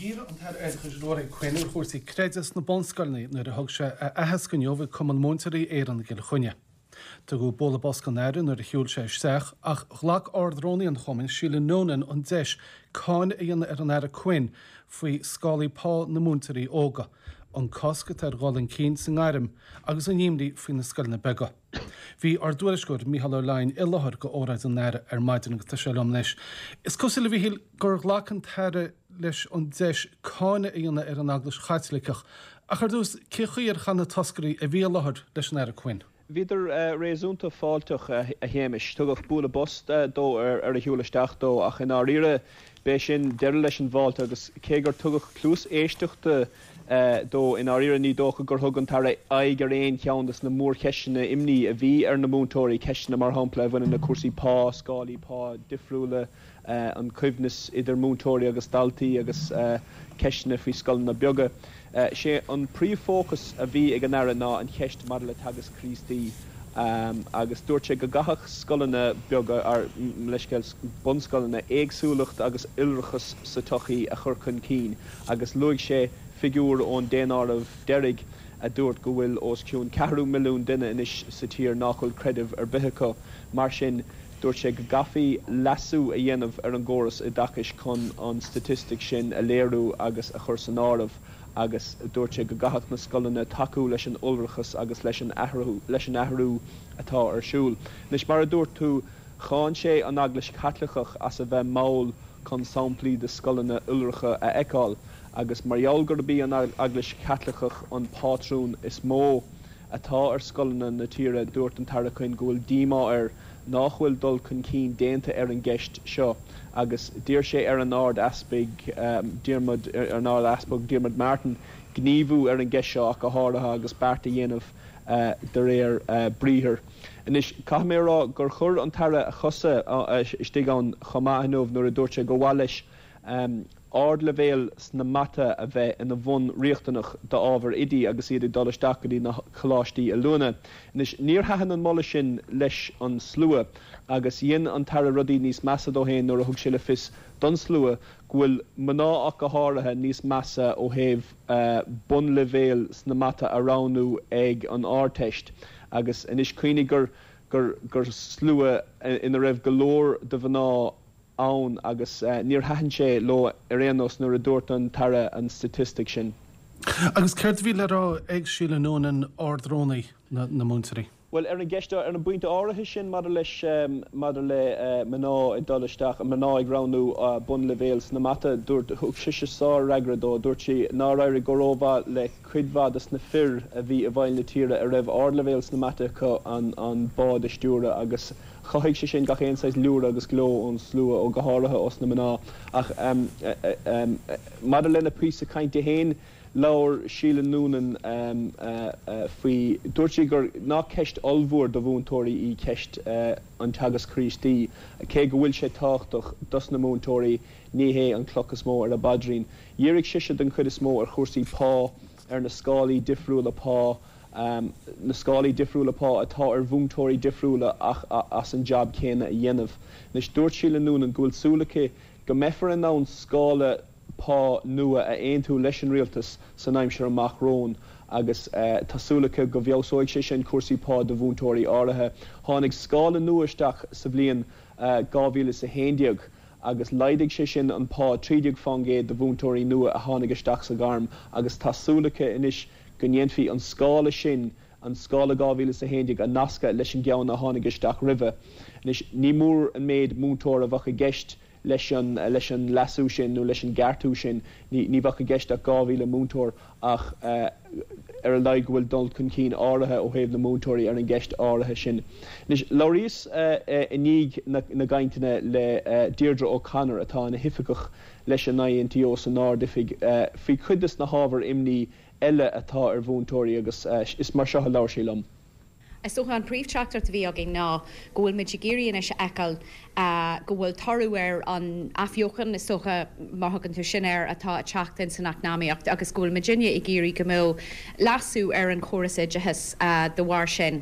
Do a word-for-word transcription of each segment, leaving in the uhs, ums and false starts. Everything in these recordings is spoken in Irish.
Dhírigh an tAire Oideachais Ruairí Quinn ar chúrsaí creidimh sna bunscoileanna nuair a thug sé a aitheasc inniu ag Cumann Múinteoirí Éireann i gCill Chainnigh. Tugadh bualadh bos don Aire nuair a shiúil sé isteach ach ghlac Ard-Rúnaí an Chumainn Síle Noonan an deis cáineadh a dhéanamh ar an Aire Quinn faoi scálaí pá na múinteoirí óga, an cosc atá ar dhul chun cinn sa ngairm agus an imní faoi na scoileanna beaga. Bhí ár dtuairisceoir Mícheál Ó Leidhin i láthair go óráid an Aire ar maidin agus tá sé liom anois. Is cosúil a Mhíchíl gur ghlac an tAire leis an deis cáineadh a dhéanamh ar an Eaglais Chaitliceach, ach ar dtús cén chaoi ar chaith na toscairí a bhí i láthair leis an Aire Quinn. Bhíodar réasúnta fáilteach a Shéamais. Tugadh bualadh bos dó ar a shiúl isteach dó ach i ndáiríre b'é sin deireadh leis an bhfáilte agus cé gur tugadh cluas éisteachta dó i ndáiríre ní dócha gur thug an tAire aghaidh ar aon cheann de na mórcheisteanna imní a bhí ar na múinteoirí, ceisteanna mar shampla a bhaineann le cúrsaí pá, scálaí pá difriúla, an coibhneas idir múinteoirí agus daltaí agus ceisteanna faoi scoileanna beaga. Sé an príomhfhócas a bhí ag an Aire ná an cheist maidir le teagasc Críostaí agus dúirt sé go gcaithfeadh scoileanna beaga ar leithscéal bunscoileanna éagsúlacht agus iolrachas sa tsochaí a chur chun cinn agus luaigh sé figiúr ón daonáireamh deiridh a dúirt go bhfuil os cionn ceathrú milliún duine anois sa tír nach bhfuil creideamh ar bith acu. Mar sin dúirt sé go gcaithfí leasú a dhéanamh ar an gcóras oideachais chun an staitistic sin a léiriú agus a chur san áireamh agus dúirt sé go gcaithfeadh na scoileanna tacú leis an iolrachas agus leis an athrú leis an athrú atá ar siúl. Anois mar a dúirt tú cháin sé an Eaglais Chaitliceach as a bheith mall chun samplaí de scoileanna iolracha a fheiceáil agus mar gheall gurb í an Eaglais Chaitliceach an pátrún is mó atá ar scoileanna na tíre dúirt an tAire Quinn go bhfuil díomá air nach bhfuil dul chun cinn déanta ar an gceist seo agus d'iarr sé ar an Ard-Easpag Diarmuid ar an Ard-Easpag Diarmuid Martin gníomhú ar an gceist seo ach go háirithe agus beart a dhéanamh de réir briathair. Anois caithfidh mé rá gur chuir an tAire a chosa istigh ann chomh maith inniu nuair a dúirt sé gur mhaith leis ardleibhéal sna mata a bheith ina bhunriachtanach d'ábhar oidí agus iad ag dul isteach go dtí na coláistí oiliúna. Anois níor thaitin an moladh sin leis an slua agus dhein an tAire rudaí níos measa dó féin nuair a thug sé le fios don slua go bhfuil mná ach go háirithe níos measa ó thaobh bunleibhéal sna mata a roghnú ag an Ardteist agus anois cuimhnigh gur gur gur slua ina raibh go leor de mhná ann agus níor thaitin sé leo ar aon nós nuair a dúirt an tAire an staitistic sin. Agus céard a bhí le rá ag Síle Noonan Ard-Rúnaí na, na múinteoirí. Well ar an gceist ar an bpointe áirithe sin maidir leis maidir le mná ag dul isteach mná ag roghnú bunleibhéal sna mata dúirt thug sise sárfhreagra dó dúirt sí nár éirigh go rómhaith le cuid mhaith de na fir a bhí i bhfeighil na tíre a raibh ardleibhéal sna mata acu an an bád a stiúradh agus chothaigh sé sin gach aon saghas liúradh agus gleo ón slua ó go háirithe ós na mná ach um, um, maidir lena píosa cainte féin labhair Síle Noonan um, uh, uh, faoi dúirt sí gur nach ceist ollmhór do mhúinteoirí í ceist uh, an teagasc Críostaí cé go bhfuil sé tábhachtach dos na múinteoirí ní hé an cloch is mó ar a bpaidrín. Dhírigh sise den chuid is mó ar chúrsaí pá ar na scálaí difriúla pá um, na scálaí difriúla pá atá ar mhúinteoirí difriúla ach as an job céanna a dhéanamh. Anois dúirt Síle Noonan go bhfuil súil aici go mbeifear in ann scála pá nua a aontú leis an rialtas san aimsir amach romhainn agus uh, tá súil aici go bhfeabhsóidh sé sin cúrsaí pá do mhúinteoirí áirithe. Tháinig scála nua isteach sa bhliain uh, dhá mhíle is a haon déag agus laghdaigh sé sin an pá trí déag faoin gcéad do mhúinteoirí nua a tháinig isteach sa ghairm agus tá súil aici anois go ndéanfaí an scála sin an scála dhá mhíle is a haon déag a nascadh leis an gceann a tháinig isteach roimhe. Anois ní mór an méid múinteoir a bheadh i gceist leis an leis an leasú sin nó leis an gceartú sin ní ní bheadh i gceist ach dhá mhíle múinteoir ach uh, ar a laghad go bhfuil dul chun cinn áirithe ó thaobh na múinteoirí ar an gceist áirithe sin. Anois labhraíos uh, uh, i ndiaidh na, na gcainteanna le uh, Deirdre O'Connor atá ina hoifigeach leis an INTO san Ard-Oifig uh, faoi chuid de na hábhair imní eile atá ar mhúinteoirí agus uh, is mar seo a labhair sí liom. Is dócha an príomhtheachtaireacht a bhí againn ná go bhfuil muid ag iarraidh anois a fheiceáil go bhfuil toradh ar an athbheochan is dócha mar thugann tú sin air atá ag teacht in san eacnamaíocht agus go bhfuil muidinne ag iarraidh go mbeadh leasú ar an chóras oideachais de bharr sin.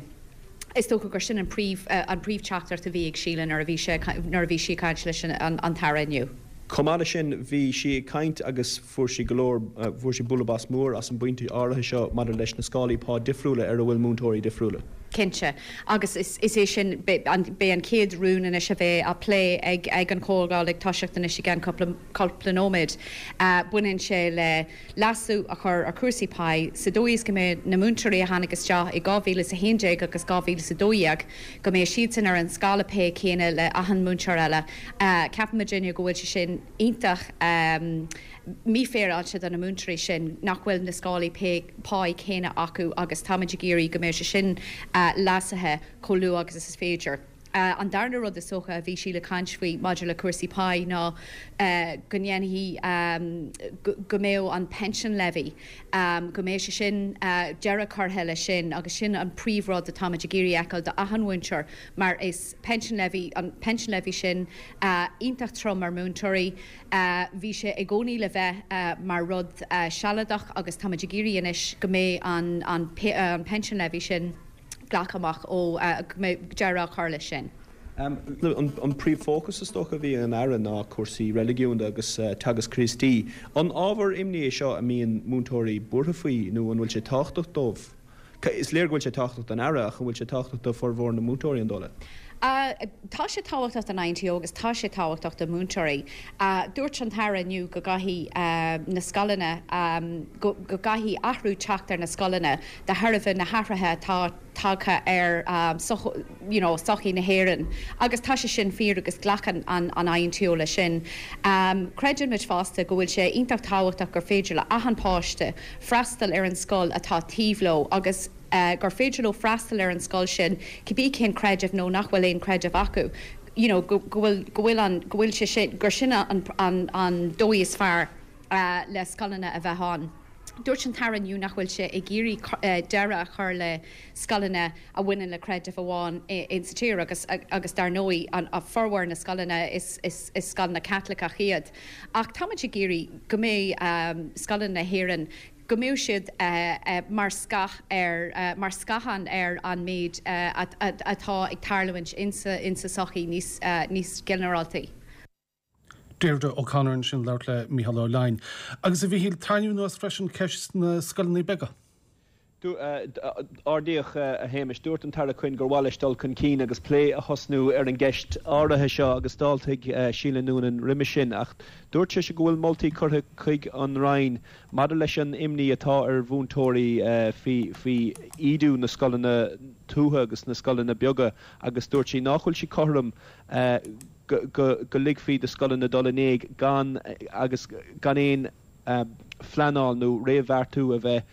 Is dócha gur sin an príomh an príomhtheachtaireacht a bhí ag Síle nuair a bhí sé nuair a bhí sí ag caint leis an an tAire inniu. Chomh maith leis sin, bhí sí ag caint agus fuair sí go leor, fuair sí bualadh bos mór as an bpointe áirithe seo maidir leis na scálaí pá difriúla ar a bhfuil múinteoirí difriúla. Cinnte. Agus is é sin, beidh an chéad rún anois a bheidh á plé ag ag an chomhdháil ag toiseacht anois i gceann cúpla cúpla nóiméad. Baineann sé le leasú a chur ar chúrsaí pá sa dóigh is go mbeidh na múinteoirí a tháinig isteach i dhá mhíle is a haon déag agus dhá mhíle is a dó dhéag, go mbeidh siadsan ar an scála pá céanna le achan múinteoir eile. Ceapann muidinne go bhfuil sé sin iontach mífhéaráilte do na múinteoirí sin nach bhfuil na scálaí pá céanna acu agus táimid ag iarraidh go mbeidh sé sin leasaithe chomh luath agus is féidir. An darna rud is dócha a bhí sí le caint faoi maidir le cúrsaí pá ná go ndéanfaidh, go mbeadh an pension levy, go mbeidh sé sin, deireadh curtha leis sin agus sin an príomhrud atáimid ag iarraidh a fheiceáil do achan mhúinteoir mar is pension levy, an pension levy sin iontach trom ar mhúinteoirí. Bhí sé i gcónaí le bheith mar rud sealadach agus táimid ag iarraidh anois go mbeidh an an pension levy sin glactha amach ó, go mbeidh deireadh á chur leis sin. An príomhfhócas is dócha a bhí ag an Aire ná cúrsaí reiligiúnda agus teagasc Críostaí. An ábhar imní é seo a mbíonn múinteoirí buartha faoi nó an bhfuil sé tábhachtach dóibh? Is léir go bhfuil sé tábhachtach don Aire ach an bhfuil sé tábhachtach do formhór na múinteoirí, an dóigh leat? Tá sé tábhachtach don I N T O agus tá sé tábhachtach do mhúinteoirí. Dúirt an tAire inniu go gcaithfidh na scoileanna, go gcaithfidh athrú teacht ar na scoileanna de thairbhe na hathruithe atá tagtha ar you know sochaí na hÉireann agus tá sé sin fíor agus glacann an an I N T O leis sin. Creideann muid fosta go bhfuil sé iontach tábhachtach gur féidir le achan páiste freastal ar an scoil atá taobh leo agus gur féidir leo freastal ar an scoil sin cibé cén creideamh nó nach bhfuil aon creideamh acu you know go bhfuil go bhfuil an go bhfuil sé sin gur sin an an an dóigh is fearr le scoileanna a bheith ann. Dúirt an tAire inniu nach bhfuil sé ag iarraidh deireadh a chur le scoileanna a bhaineann le creideamh amháin insa tír agus agus dar ndóigh an formhór na scoileanna is is is scoileanna Caitliceach iad. Ach táimid ag iarraidh go mbeidh scoileanna na hÉireann go mbeidh siad mar scáth ar mar scáthán ar an méid atá ag tarlúint insa insa sochaí níos níos ginearáltaí. Deirdre O'Connor ansin ag labhairt le Mícheál Ó Leidhin. Agus a Mhíchíl, tarraingíodh anuas freisin ceist na scoileanna beaga. Ardaíodh a Shéamais, dúirt an tAire Quinn gur mhaith leis dul chun cinn agus plé a thosnú ar an gceist áirithe seo agus d'fháiltigh Síle Noonan roimhe sin ach dúirt sise go bhfuil moltaí curtha chuig an Roinn maidir leis an imní atá ar mhúinteoirí faoi faoi ídiú na scoileanna tuaithe agus na scoileanna beaga agus dúirt sí nach bhfuil sí cothrom go ligfí do scoileanna dul in éag gan agus gan aon phleanáil nó réamhbheartú a bheith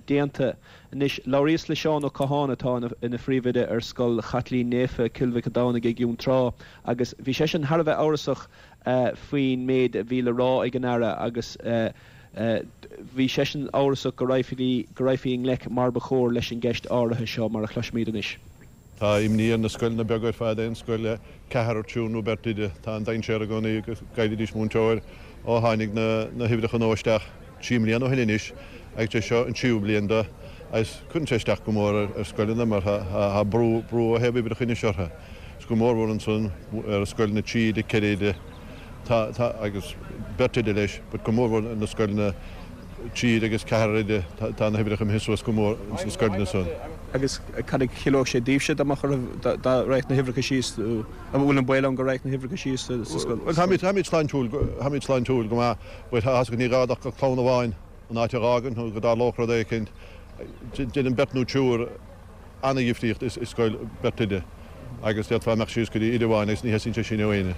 déanta. Anois, labhraíos le Seán Ó Catháin atá ina phríomhoide ar Scoil Chaitlín Naofa, Cill Mhic an Domhnaigh i gCeann Trá agus bhí seisean thar a bheith amhrasach faoin méid a bhí le rá ag an Aire agus bhí seisean amhrasach go raghfaí go raghfaí i ngleic mar ba chóir leis an gceist áirithe seo mar a chloisfimid anois. Tá imní ar na scoileanna beaga ar fad, aon scoil le ceathrar, triúr nó beirt oide. Tá an dainséar i gcónaí go gcaillfidís múinteoir ó tháinig na huimhreacha nua isteach trí mbliana ó shin anois agus é seo an tríú bliain de agus cuireann sé isteach go mór ar scoileanna mar tá brú brú ó thaobh uimhreacha anois orthu. Is go mórmhór ansan ar scoileanna trí oide, ceithre oide tá tá agus beirt oide leis but go mórmhór na scoileanna trí oide agus ceathrar oide tá na huimhreacha imithe suas go mór ins na scoileanna san. Agus cad a chiallódh sé daoibhse dá mbeadh oraibh dá raghadh na huimhreacha síos, an bhfuil an baol ann go raghadh na huimhreacha síos sa scoil? Bhuel táimid táimid sláintiúil táimid sláintiúil go maith but tá a fhios agat ní gá ach clann amháin an áit a dh'fhágaint nó go dtarlódh rud éicint. Déanann beirt nó triúr ana-dhifríocht i scoil beirt oide agus d'fhéadfá imeacht síos go dtí oide amháin agus ní theastaíonn sé sin ó éinne.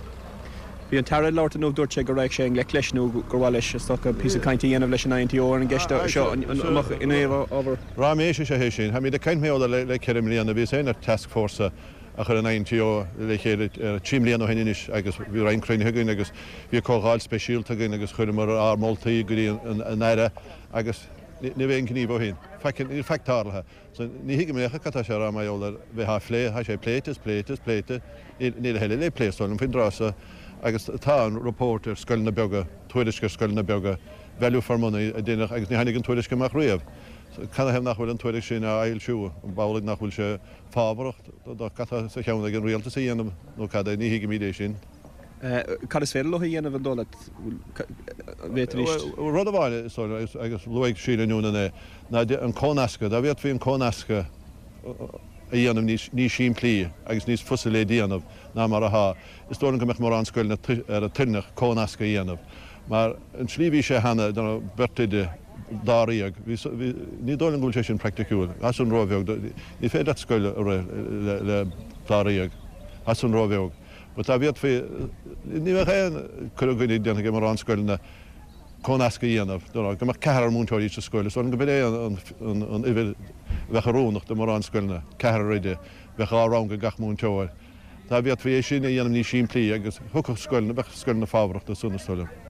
Bhí an tAire ag labhairt inniu, dúirt sé go raghadh sé i ngleic leis nó gur mhaith leis, is dócha, píosa cainte a dhéanamh leis an I N T O ar an gceist seo an mbeadh in aon ábhar. Raiméis is ea é sin. Táimid ag caint mar gheall air le ceithre mbliana. Bhíos féin ar taskforce a chuir an I N T O le chéile trí mbliana ó shin anois agus bhí roinnt cruinnithe againn agus bhí comhdháil speisialta againn agus chuireamar ár moltaí go dtí an Aire agus ní raibh aon ghníomh ó shin. Faic, níl faic tarlaithe. So ní thuigim é cad tá sé a rá mar gheall ar bheith á phlé, tá sé pléite is pléite is pléite, níl a thuilleadh le plé is dóigh liom faoin dtráth seo agus tá an report ar scoileanna beaga, tuairisc ar scoileanna beaga, value for money a deineadh agus ní tháinig an tuairisc amach riamh. So canathaobh nach bhfuil an tuairisc sin á fhoilsiú? An amhlaidh nach bhfuil sé fábharach do cad tá sa cheann ag an rialtas a dhéanamh nó cad é? Ní thuigimid é sin. Cad is féidir leo a dhéanamh an dóigh leat? Bhféadfaidís. Rud amháin is dóigh liom, agus luaigh Síle Noonan é, ná an cónascadh. Dá bhféadfaí an cónascadh a dhéanamh níos simplí agus níos fusa le déanamh ná mar atá, is dóigh liom go mbeadh mórán scoileanna toilteanach cónascadh a dhéanamh. Mar an tslí a bhí sé cheana, beirt oide, dáréag, ní dóigh liom go bhfuil sé sin praiticiúil. Tá san róbheag. Ní féidir leat scoil a rith le dáréag. Tá san róbheag. But dá bhféadfaí, ní bheadh aon cur i gcoinne déanta ag mórán scoileanna cónascadh a dhéanamh, go mbeadh ceathrar múinteoirí sa scoil. Is dóigh liom go b'in é an uimhir a bheadh oiriúnach do mórán scoileanna, ceathrar oide, bheadh dhá rang ag gach múinteoir. Dá bhféadfaí é sin a dhéanamh níos simplí agus thiocfadh scoileanna, bheadh scoileanna fabhrach dó san, is dóigh liom.